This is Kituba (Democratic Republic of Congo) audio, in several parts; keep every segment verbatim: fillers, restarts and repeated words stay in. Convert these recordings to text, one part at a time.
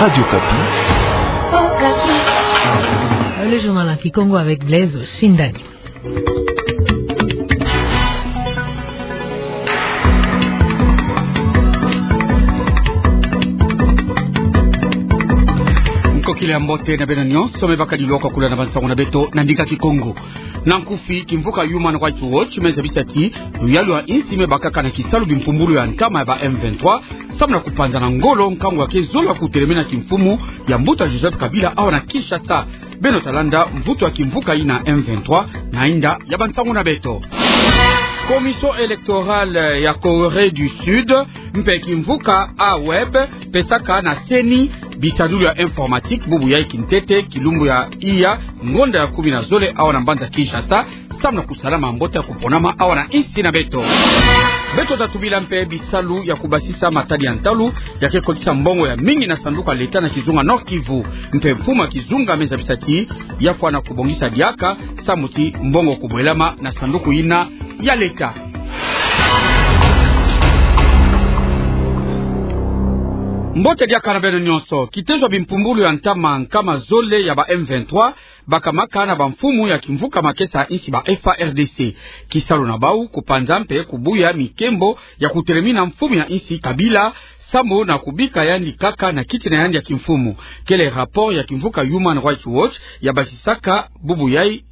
Radio Okapi. Le journal en kikongo avec Blaise Shindani. Nkokila ya mbote na beno nyonso me bakadi lwaka kula na bansango na beto na ndinga kikongo. Na nkufi, kimvuka Human Rights Watch me zabisa ti luyalu ya insi me bakaka na kisalu bimpumbulu ya ntama ya ba M vingt-trois, samu na kupanzana ngolo nkangu ya ke zola kutelemena kimfumu ya mbuta Joseph Kabila awa na Kinshasa. Beno ta landa mvutu ya kimvuka yina M vingt-trois na inda ya bansango na beto. Commission électorale ya Corée du Sud mpe kimvuka Huawei pesaka na CENI bisadulu ya informatique bubu yai kintete kilumbu ya iya ngonda ya kumi na zole awa na mbanza Kinshasa, samu na kusalama mbote ya kuponama awa na insi na beto. Beto ta tubila mpe bisalu ya kubasisa matadi ya ntalu ya ke kotisa mbongo ya mingi na sanduku ya leta na kizunga Nord-Kivu. Mpe mfumu ya kizunga me zabisa ti ya fwana kubongisa diaka samu ti mbongo kubwelama na sanduku yina ya leta. Mbote diaka na beno nyonso. Kitezo ya bimpumbulu ya ntama nkama zole ya ba M vingt-trois bakamaka na bamfumu ya kimvuka makesa ya insi ba F A R D C. Kisalu na bau kupanza mpe kubuya mikembo ya kutelemina mfumu ya insi Kabila, samu na kubika yandi kaka na kiti na yandi ya kimfumu. Kele rapport ya kimvuka Human Rights Watch ya basisaka bubu yai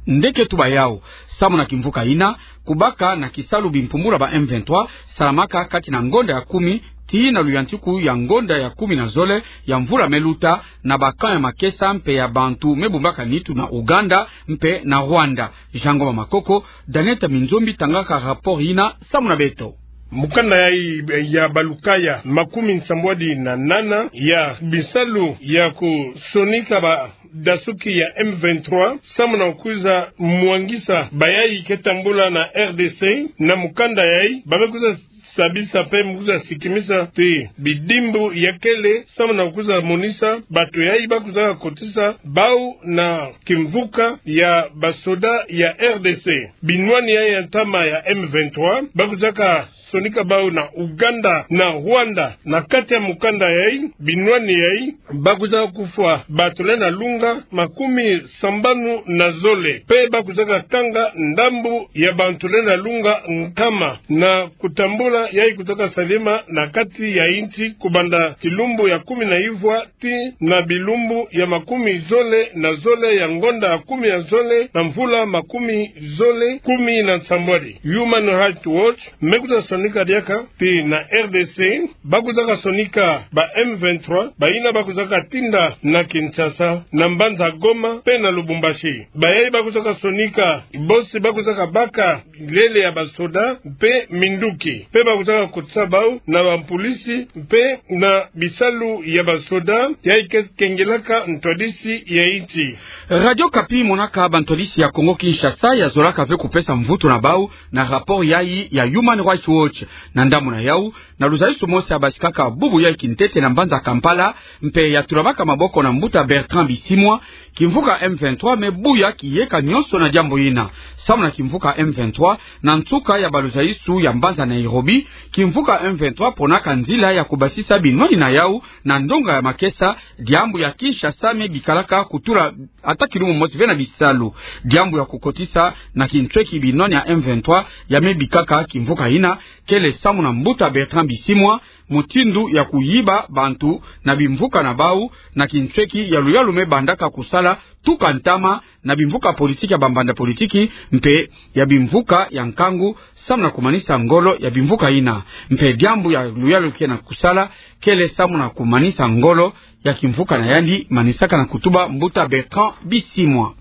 nde ke tuba yau. Samu na kimvuka yina, kubaka na kisalu bimpumbulu ya ba M vingt-trois salamaka kati na ngonda ya kumi tii na luyantiku ya ngonda ya kumi na zole ya mvula me luta, na ba camp ya makesa mpe ya bantu me bumbaka nitu na Ouganda mpe na Rwanda. Jean Ngoma Makoko, Daniel Taminzombi tangaka rapport yina samu na beto. Mukanda yai ya balukaya makumi nsambwadi na nana ya bisalu ya kusonika ba dasuki ya M vingt-trois, samu na kwiza mwangisa bayai ke tambula na R D C, na mukanda yai ba me kwiza sabisa mpe me kwiza sikimisa ti bidimbu ya kele, samu na kwiza monisa bato yai ba kwiza kotisa bau na kimvuka ya basoda ya R D C. Binwani yai ya ntama ya M vingt-trois ba kwizaka sonika bau na Ouganda na Rwanda. Na kati ya mukanda yai, binwani yai, ba kwiza kufwa bato lenda lunga makumi sambanu na zole, mpe ba kwizaka kanga ndambu ya bantu lenda lunga nkama na kutambula yai kwizaka salema na kati ya insi kubanda kilumbu ya kumi na ivwa tii na bilumbu ya makumi zole na zole ya ngonda ya kumi ya zole na mvula makumi zole kumi na nsambwadi. Human Rights Watch me kwiza sonika diaka ti na R D C ba kwizaka sonika ba M vingt-trois, bayina ba kwizaka tinda na Kinshasa, na mbanza Goma mpe na Lubumbashi. Bayai ba kwizaka sonika, bosi ba kwizaka baka lele ya basoda mpe minduki, mpe ba kwizaka kotisa bau na bampolisi mpe na bisalu ya basoda yai ke kengelaka ntwadisi ya insi. Radio Okapi monaka bantwadisi ya Kongo Kinshasa ya zolaka ve kupesa mvutu na bau na rapport yai ya Human Rights Watch. Na ndambu na yau, na luzaisu mosi ya basikaka bubu yai kintete na mbanza Kampala, mpe ya tulamaka maboko na mbuta Bertrand Bisimwa, kimvuka M vingt-trois me buya kiyeka nyonso na diambu yina. Samu na kimvuka M vingt-trois, na nsuka ya baluzaisu ya mbanza Nairobi, kimvuka M vingt-trois ponaka nzila ya kubasisa binwani na yau na ndonga ya makesa, diambu ya Kinshasa me bikalaka kutula ata kilumbu mosi ve na bisalu. Diambu ya kukotisa na kinsweki binwani ya M vingt-trois ya me bikaka kimvuka yina, kele samu na mbuta Bertrand Bisimwa, mutindu ya kuyiba bantu na bimvuka na bau, na kinsweki ya luyalu me bandaka kusala tuka ntama na bimvuka politiki ya bambanda politiki mpe ya bimvuka ya nkangu, samu na kumanisa ngolo ya bimvuka yina. Mpe diambu ya luyalu ke na kusala, kele samu na kumanisa ngolo ya kimvuka na yandi, manisaka na kutuba mbuta Bertrand Bisimwa.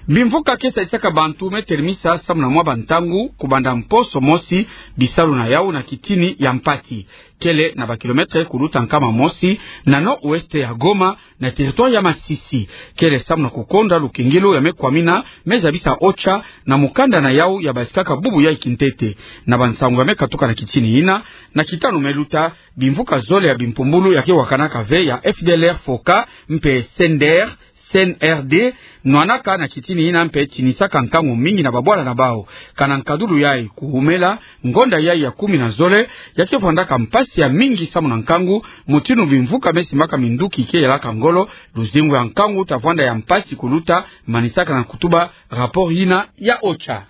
Bimvuka ke sadisaka bantu me telemisa samu na mwa bantangu kubanda mposo mosi bisalu na yau na kitini ya mpati, kele na ba kilomètre kuluta nkama mosi na nord-ouest ya Goma, na territoire ya Masisi. Kele samu na kukonda lukingilu ya me kwamina, me zabisa OCHA na mukanda na yau ya basikaka bubu yai kintete. Na bansangu ya me katuka na kitini yina, na kitanu me luta, bimvuka zole ya bimpumbulu ya ke wakanaka ve ya F D L R Foka mpe Sender C N R D, nwanaka na kitini ina mpe tinisaka nkangu mingi na babwala na bau. Kana nkadulu yai kuhumela, ngonda yai ya kumi na zole, ya ke vwandaka mpasi ya mingi samu na nkangu, mutindu bimvuka me simbaka minduki ke yalaka ngolo, luzingu ya nkangu ta vwanda ya mpasi kuluta, manisaka na kutuba rapport ina ya OCHA.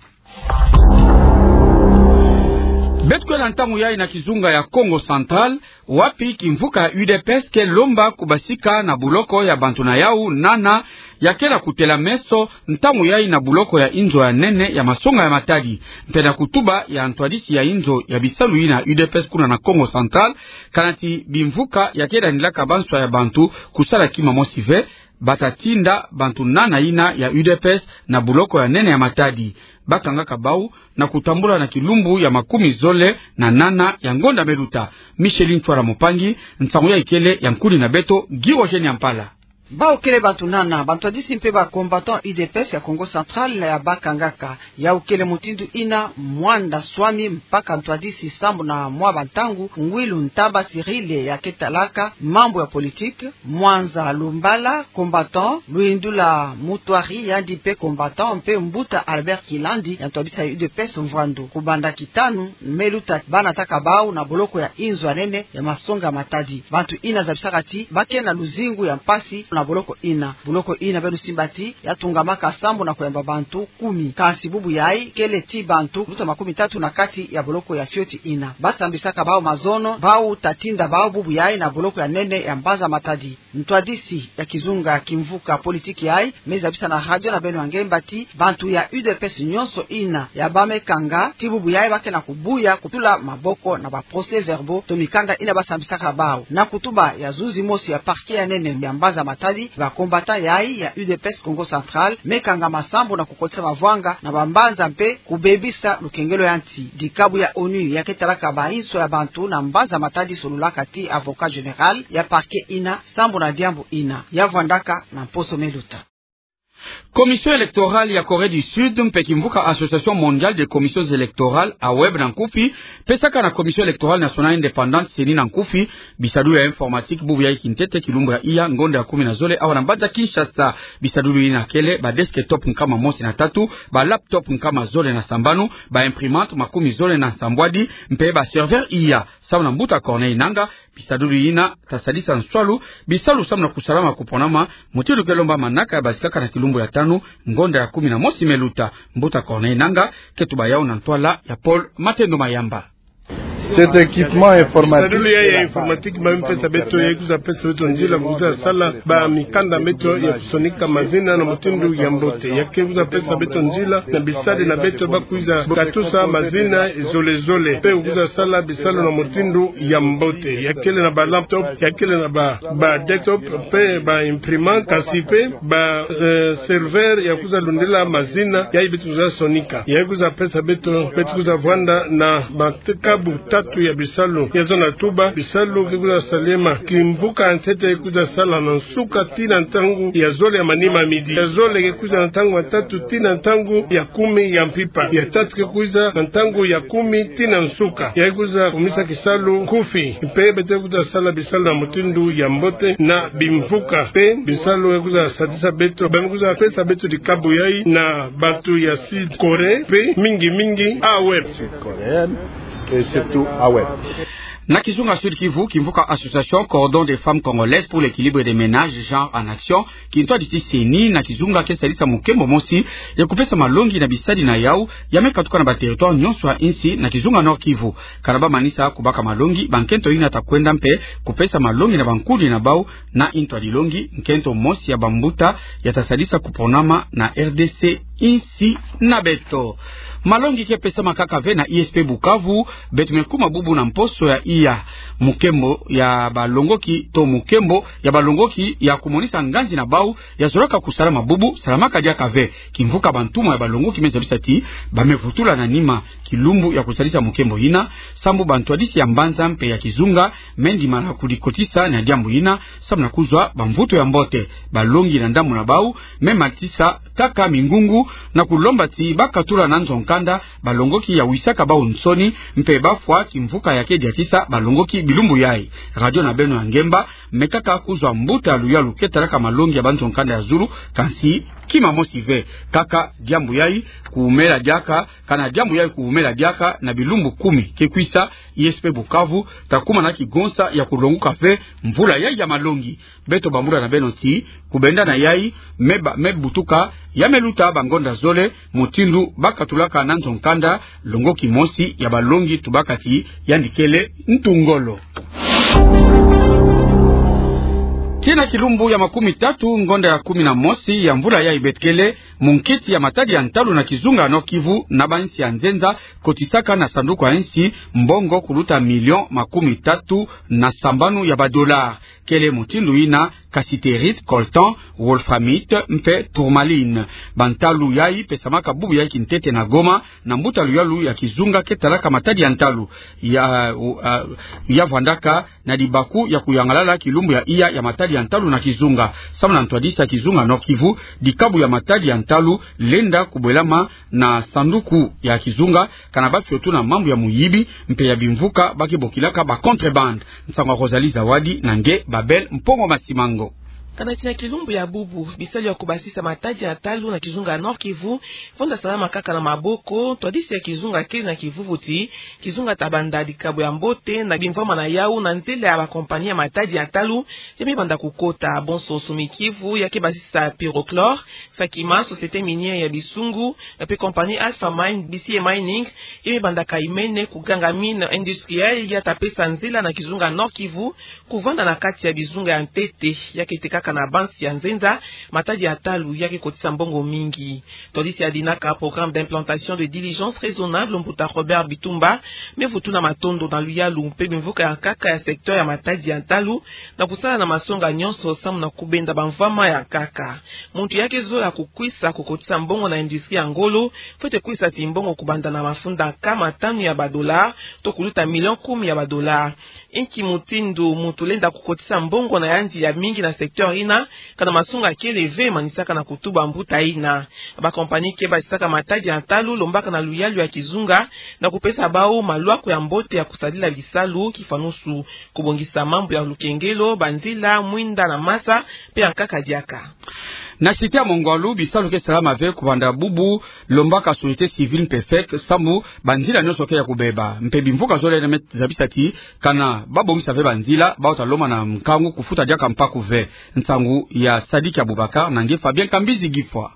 Beto kwela ntangu yai na kizunga ya Kongo Central, wapi kimvuka ya U D P S ke lomba kubasika na buloko ya bantu na yau nana ya kela kutela meso ntangu yai na buloko ya inzo ya nene ya masonga ya matadi. Mpe na kutuba ya ntwadisi ya inzo ya bisalu ina ya U D P S kuna na Kongo Central, kana ti bimvuka ya ke danilaka banswa ya bantu kusala kima mosi ve, bata tinda bantu nana ina ya U D P S na buloko ya nene ya Matadi. Bakangaka bau na kutambula na kilumbu ya makumi zole na nana ya ngonda me luta. Micheline Ntwala Mupangi, nsangu yai kele ya nkuni na beto, Guy Roger Nyampala. Bau kele bantu nana, bantwadisi mpe ba combattants U D P S ya Kongo Central ya bakangaka. Yau kele mutindu ina, mwanda swami mpaka ntwadisi sambu na mwa bantangu, Ngwilu Ntaba Cyrille ya ke talaka mambu ya politique, Mwanza Lumbala, combattant, Luindula Mutwari, yandi mpe combattant, mpe Mbuta Albert Kilandi, ya ntwadisi ya U D P S Mvwandu. Kubanda kitanu me luta, banataka bau na boloko ya inzo ya nene ya masonga ya Matadi. Bantu ina zabisaka ti ba ke na luzingu ya mpasi na boloko ina. Boloko ina beno simba ti ya tungamaka sambu na kuyamba bantu kumi. Kansi bubu yai kele ti bantu luta makumi tatu na kati ya boloko ya fioti ina. Ba sambisaka bau mazono, bau ta tinda bau bubu yai na boloko ya nene ya mbanza Matadi. Ntwadisi ya kizunga kimvuka politique yai me zabisa na radio na beno ya ngemba ti bantu ya U D P S nyonso ina ya ba me kanga ti bubu yai ba ke na kubuya kutula maboko na ba procès-verbaux to mikanda ina ba sambisaka bau. Na kutuba ya zuzi mosi ya parquet ya nene ya mbanza Matadi, ba combattants yai ya U D P S Kongo Central me kangama sambu na kukotisa mavwanga na bambanza mpe kubebisa lukengelo ya nsi. Dikabu ya ONU ya ke talaka ba inso ya bantu na mbanza Matadi solulaka ti avocat général ya parquet ina sambu na diambu ina ya vwandaka na mposo me luta. Commission électorale ya Corée du Sud mpe kimvuka Association Mondiale des Commissions Électorales, AWEB na nkufi, pesaka na Commission Électorale Nationale Indépendante, CENI na nkufi, bisadulu ya informatique bubu yai kintete kilumbu ya iya ngonda ya kumi na zole awa na mbanza Kinshasa. Bisadulu ina kele ba desktop nkama mosi na tatu, ba laptop nkama zole na sambanu, ba imprimante makumi zole na nsambwadi, mpe ba serveur iya. Samu na Mbuta Corneille Nangaa, bisadulu ina ta sadisa nswalu bisalu samu na kusalama kuponama, mutindu ke lomba manaka ya basikaka na kilumbu ya tanu ngonda ya kumi na mosi me luta. Mbuta Corneille Nangaa ke tuba yau na ntwala ya Paul Matendo Mayamba. Cet équipement informatique. Bisadulu ya, ya informatique ba me pesa beto, ya kwiza pesa beto nzila kwiza sala ba mikanda meto ya kusonika mazina na mutindu ya mbote. Ya ke kwiza pesa beto nzila na bisadi na beto ba kwiza katusa mazina zole zole, mpe kwiza sala bisalu na mutindu ya mbote. Ya kele na ba laptop, ya kele na ba, ba desktop, mpe ba imprimante, kasi mpe ba, eh, serveur ya kwiza lundila mazina yai beto kwiza sonika. Ya kwiza pesa beto, beto kwiza vwanda na ba kabu tatu ya bisalu. Ya zona tuba, bisalu ke kwiza salema kimvuka ntete, kwiza sala na nsuka tii na ntangu ya zole ya manima, midi. Ya zole ke kwiza na ntangu ya tatu tii na ntangu ya kumi ya mpimpa. Ya tatu ke kwiza na ntangu ya kumi tii na nsuka. Ya kwiza kumisa kisalu nkufi. Mpe beto kwiza sala bisalu na mutindu ya mbote na bimvuka. Mpe bisalu ya kwiza sadisa beto, ba me kwiza pesa beto dikabu yai na bantu ya Sud Corée, mpe mingi mingi AWEB. Sud-coréenne et surtout AWEB. Na kizunga Sud-Kivu, kimvuka Association Cordon des Femmes Congolaises pour l'Équilibre des Ménages, Genre en Action, kintwadi ti CENI, na kizunga ke sadisa mukembo mosi ya kupesa malongi na bisadi na yau ya me katuka na ba territoire nyonso ya insi na kizunga Nord-Kivu. Kana ba manisa kubaka malongi, ba nkento ina ta kwenda mpe kupesa malongi na ba nkundi na bau na intwadi longi, nkento mosi ya bambuta ya ta sadisa kuponama na RDC, insi na beto. Malongi ke pesama kaka ve na ISP Bukavu, beto me kuma bubu na mposo ya iya. Mukembo ya balongoki to mukembo ya balongoki ya kumonisa nganzi na bau ya zolaka kusalama bubu salamaka diaka ve. Kimvuka bantumwa ya balongoki me zabisa ti ba me vutula na nima kilumbu ya kusadisa mukembo ina, sambu bantwadisi ya mbanza mpe ya kizunga me ndimana kudikotisa na diambu ina, samu na kuzwa bamvutu ya mbote. Balongi na ndambu na bau me matisa kaka mingungu Na kulomba ti bakatula na nzo nkanda balongoki ya wisaka bawu nsoni, mpe bafwa ti mvuka ya kediatisa balongoki bilumbu yayi. Radio na beno ya ngemba mekaka kuzwa mbuta ya luyalu ke talaka malongi ya banzo nkanda ya zulu, kansi kima mosi ve. Kaka diambu yayi kuwumela diaka, kana diambu yayi kuwumela diaka na bilumbu kumi ke kwisa, I S P Bukavu ta kuma na kigonsa ya kulonguka ve mvula yayi ya malongi. Beto bambula na beno ti kubenda na yayi me ba-, me butuka ya me luta bangonda zole, mutindu bakatulaka na nzo nkanda longoki mosi ya balongi tubaka ti yandi kele ntu ngolo. Tii na kilumbu ya makumi tatu ngonda ya kumi na mosi ya mvula yayi beto kele, munkiti ya matadi ya ntalu na kizunga Nord-Kivu na bansi ya nzenza kotisaka na sanduku ya nsi mbongo kuluta million makumi tatu na sambanu ya ba dollars. Kele mutindu yina cassiterite, coltan, wolframite mpe tourmaline. Bantalu yayi pesamaka bubu yayi kintete na Goma na mbuta luyalu ya kizunga ke talaka matadi ya ntalu. Ya, uh, ya vwandaka na dibaku ya kuyangalala kilumbu ya iya ya matadi ya ntalu na kizunga. Samu na ntwadisi ya kizunga Nord-Kivu, dikabu ya matadi ya ntalu lenda kubwelama na sanduku ya kizunga, kana bafiotu na mambu ya muyibi mpe ya bimvuka ba ke bokilaka ba contrebande. Nsangu ya Rosalie Zawadi na nge Babel Mpongo Masimango. Kana tii na kilumbu ya bubu, bisalu ya kubasisa matadi ya ntalu na kizunga Nord-Kivu vonda salama kaka na maboko. Ntwadisi ya kizunga kele na kivuvu ti kizunga ta banda dikabu ya mbote na bimvwama na yawu na nzila ya ba compagnie ya matadi ya ntalu ya me banda kukota. Bonso Sumi Kivu ya ke basisa pyrochlore, Sakima, société minière ya Bisungu, mpe compagnie Alpha Mine, B C A Mining, ya me banda kaimene kuganga mine industrielle ya ta pesa nzila na kizunga Nord-Kivu kuvanda na kati ya bizunga ya ntete. Ya ke tekaka na bansi ya nzenza matadi ya ntalu ya ke kotisa mbongo mingi. Ntwadisi ya dinaka programme d'implantation de diligence raisonnable, mbuta Robert Bitumba, me vutu na matondo na luyalu mpe bimvuka ya nkaka ya secteur ya matadi ya ntalu na kusala na masonga nyonso samu na kubenda bamvwama ya nkaka. Muntu ya ke zola kukwisa kukotisa mbongo na industrie ya ngolo fwete kwisa ti mbongo kubanda na mafunda nkama tanu ya ba dollars to kuluta million kumi ya ba dollars. Inki mutindu muntu lenda kukotisa mbongo na yandi ya mingi na secteur yina, kana masonga kele ve manisaka na kutuba mbuta yina? Ba compagnie ke basisaka matadi ya ntalu lombaka na luyalu ya kizunga na kupesa bawu malwaku ya mbote ya kusadila bisalu, kifanusu kubongisa mambu ya lukengelo, banzila, mwinda na masa, mpe ya nkaka diaka. Na cité ya Mongwalu, bisalu ke salama ve kubanda bubu, lombaka société civile mpe fek, samu banzila nyonso ke ya kubeba. Mpe bimvuka zole na me zabisa ti kana babongisa ve banzila, bawu ta lomba na nkangu kufuta diaka mpaku ve. Nsangu ya Sadiki Abubakar na nge Fabien Kambizi Gifwa.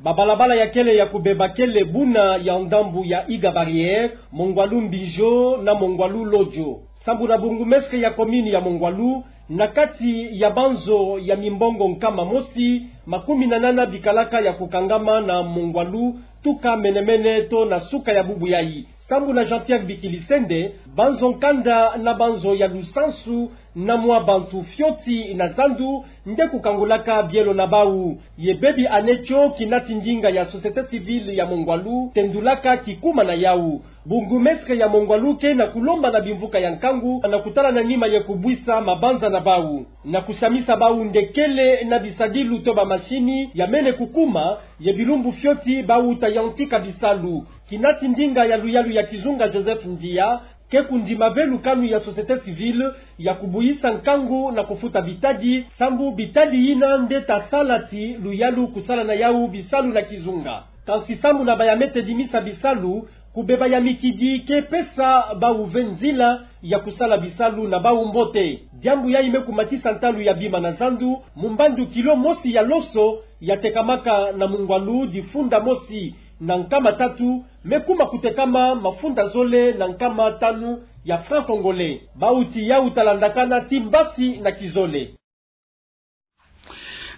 Babalabala ya kele ya kubeba kele buna ya ndambu ya Iga Barrière, Mongwalu Mbijo na Mongwalu Lodjo. Sambu na bourgmestre ya commune ya Mongwalu, na kati ya banzo ya mimbongo nkama mosi, makumi na nana bikalaka ya kukangama na Mongwalu, tuka menemene to na suka ya bubu yayi. Sambu na Jean-Pierre Bikilisende, banzo nkanda na banzo ya lusansu na mwa bantu fioti na zandu nde kukangulaka bielo na bawu. Ye bebi ane tio, kinati ndinga ya société civile ya Mongwalu tendulaka kikuma na yawu. Bourgmestre ya Mongwalu ke na kulomba na bimvuka ya nkangu na kutala na nima ye kubwisa mabanza na bawu, na kusamisa bawu nde kele na bisadilu to ba machine ya mene kukuma, ye bilumbu fioti bawu ta yantika bisalu. Kinati ndinga ya luyalu ya kizunga Joseph Ndia ke kundima ve lukanu ya société civile ya kubwisa nkangu na kufuta bitadi, sambu bitadi yina nde ta sala ti luyalu kusala na yawu bisalu na kizunga. Kansi sambu na baya me tedimisa bisalu, kubeba ya mikidi ke pesa bawu ve nzila ya kusala bisalu na bawu mbote. Diambu yayi me kumatisa ntalu ya bima na zandu, mu mbandu kilo mosi ya loso ya tekamaka na Mongwalu difunda mosi na nkama tatu, me kuma kutekama mafunda zole na nkama tanu ya franc congolais. Bawu ti yawu ta landakana ti mbasi na kizole.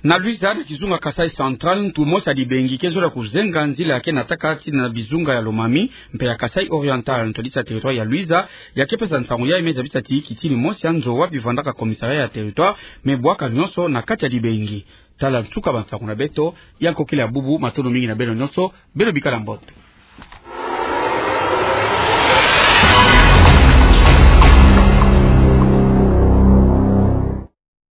Na Luiza, na kizunga Kasaï Central, ntu mosi ya dibengi ke zola kuzenga nzila ya ke nataka tii na bizunga ya Lomami mpe ya Kasaï Oriental. Ntwadisi ya territoire ya Luiza ya ke pesa nsangu yayi me zabisa ti kitini mosi ya nzo wapi vandaka commissariat ya territoire me bwaka nyonso na kati ya dibengi. Tala nsuka bansangu na beto ya nkokila ya bubu. Matondo mingi na beno nyonso, beno bikala mbote.